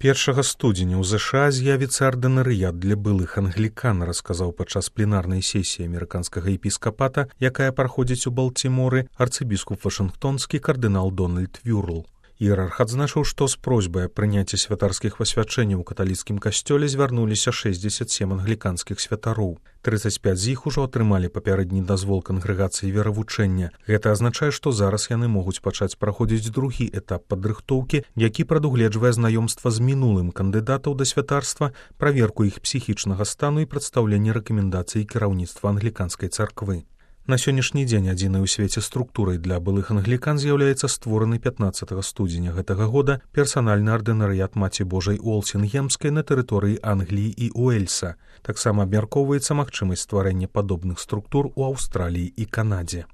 1 студзеня ў ЗША з'явіцца ардынарыят для былых англікан, расказаў падчас пленарнай сесіі амерыканскага епіскапата, якая праходзіць у Балтіморы, арцыбіскуп вашынгтонскі кардынал Дональд Вюрл. Іерарх адзначыў, што з просьбай аб прыняцці святарскіх пасвячэнняў у каталіцкім касцёле звярнуліся 67 англіканскіх святароў. 35 з іх ужо атрымалі папярэдні дазвол кангрэгацыі веравучэння. Гэта азначае, што зараз яны могуць пачаць праходзіць другі этап падрыхтоўкі, які прадугледжвае знаёмства з мінулым кандыдатаў да святарства, праверку іх псіхічнага стану і прадстаўленне рэкамендацый кіраўніцтва англіканскай царквы. На сённяшні дзень адзінай у свеце структурай для былых англікан з'яўляецца створаны 15 студзеня гэтага года персанальны ардынарыят Маці Божай Уолсінгемскай на тэрыторыі Англіі і Уэльса. Таксама абмяркоўваецца магчымасць стварэння падобных структур у Аўстраліі і Канадзе.